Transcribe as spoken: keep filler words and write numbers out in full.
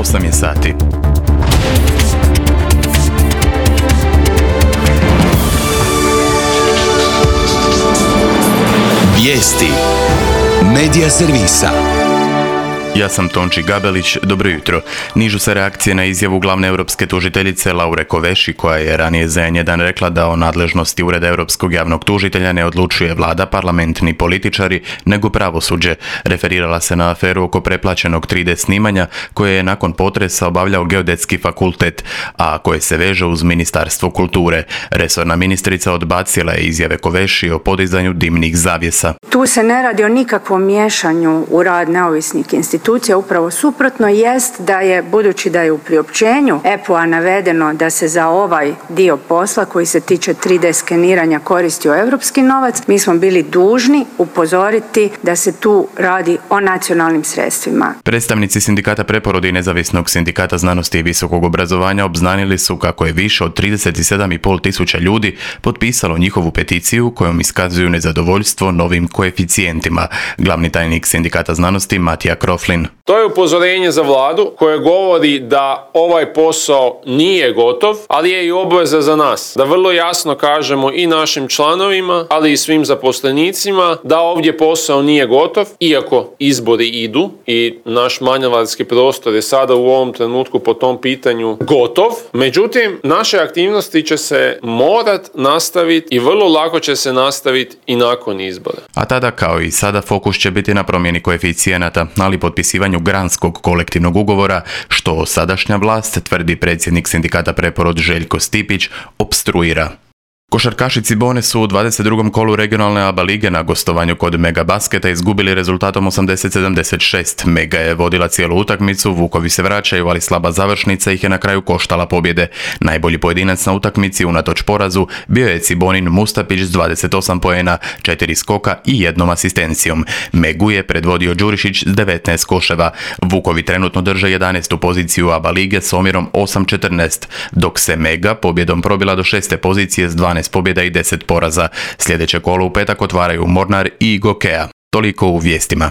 osam je sati. Vijesti Medija servisa. Ja sam Tonči Gabelić, dobro jutro. Nižu se reakcije na izjavu glavne europske tužiteljice Laure Kovesi, koja je ranije za en jedan rekla da o nadležnosti Ureda europskog javnog tužitelja ne odlučuje vlada, parlament ni političari, nego pravosuđe. Referirala se na aferu oko preplaćenog tri de snimanja koje je nakon potresa obavljao Geodetski fakultet, a koje se veže uz Ministarstvo kulture. Resorna ministrica odbacila je izjave Kovesi o podizanju dimnih zavjesa. Tu se ne radi o nikakvom miješanju u rad neovisnih institucija. Institucija upravo suprotno jest da je, budući da je u priopćenju E P O-a navedeno da se za ovaj dio posla koji se tiče tri de skeniranja koristio europski novac, mi smo bili dužni upozoriti da se tu radi o nacionalnim sredstvima. Predstavnici sindikata Preporod i Nezavisnog sindikata znanosti i visokog obrazovanja obznanili su kako je više od trideset sedam i pol tisuća ljudi potpisalo njihovu peticiju kojom iskazuju nezadovoljstvo novim koeficijentima. Glavni tajnik sindikata znanosti Matija Kroflin. To je upozorenje za vladu koje govori da ovaj posao nije gotov, ali je i obveza za nas. Da vrlo jasno kažemo i našim članovima, ali i svim zaposlenicima da ovdje posao nije gotov, iako izbori idu i naš manevarski prostor je sada u ovom trenutku po tom pitanju gotov. Međutim, naše aktivnosti će se morat nastaviti i vrlo lako će se nastaviti i nakon izbora. A tada, kao i sada, fokus će biti na promjeni koeficijenata, ali potpisivanju granskog kolektivnog ugovora, što sadašnja vlast, tvrdi predsjednik sindikata Preporod Željko Stipić, opstruira. Košarkaši Cibone su u dvadeset drugom kolu regionalne A B A lige na gostovanju kod Mega Basketa izgubili rezultatom osamdeset sedamdeset šest. Mega je vodila cijelu utakmicu, Vukovi se vraćaju, ali slaba završnica ih je na kraju koštala pobjede. Najbolji pojedinac na utakmici unatoč porazu bio je Cibonin Mustapić s dvadeset osam poena, četiri skoka i jednom asistencijom. Megu je predvodio Đurišić s devetnaest koševa. Vukovi trenutno drže jedanaestu poziciju A B A lige s omjerom osam četrnaest, dok se Mega pobjedom probila do šeste pozicije s dvanaest pobjeda i deset poraza. Sljedeće kolo u petak otvaraju Mornar i Gokea. Toliko u vijestima.